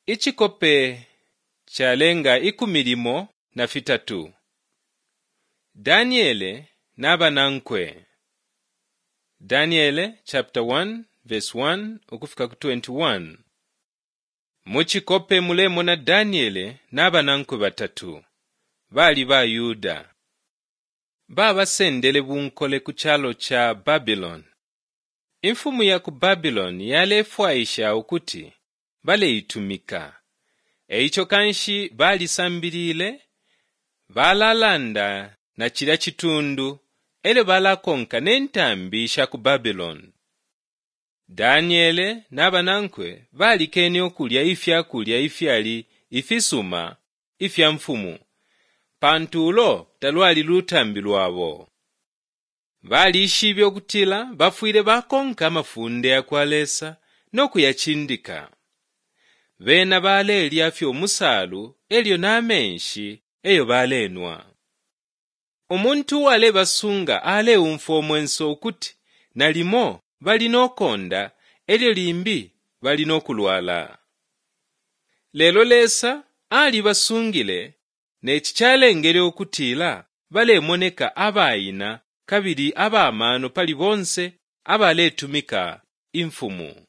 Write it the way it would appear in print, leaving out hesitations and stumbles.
Icikope calenga 13 Daniele na banankwe. Daniele chapter 1 verse 1 ukufika ku 21. Mu cikope mulemona Daniele na banankwe batatu. Bali baYuda. Babasendele bunkole ku calo ca Babiloni. Imfumu ya ku Babiloni yalefwaisha ukuti baleitumika. E ico kanshi balisambilile, balalanda na cilya citundu e lyo balakonka ne ntambi sha ku Babiloni. Daniele na banankwe balikene ukulya ifya kulya ifyali ifisuma ifya mfumu, pantu ulo talwali lutambi lwabo. Balishibe ukutila bafwile bakonka amafunde ya kwa Lesa no kuyacindika. Bena balelya fye umusalu e lyo na menshi eyo balenwa. Umuntu uwalebasunga aleumfwa umwenso ukuti nalimo bali no konda e lyo limbi bali no kulwala. Lelo Lesa alibasungile ne ci calengele ukutila balemoneka abaina kabili aba mano pali bonse abaletumika imfumu.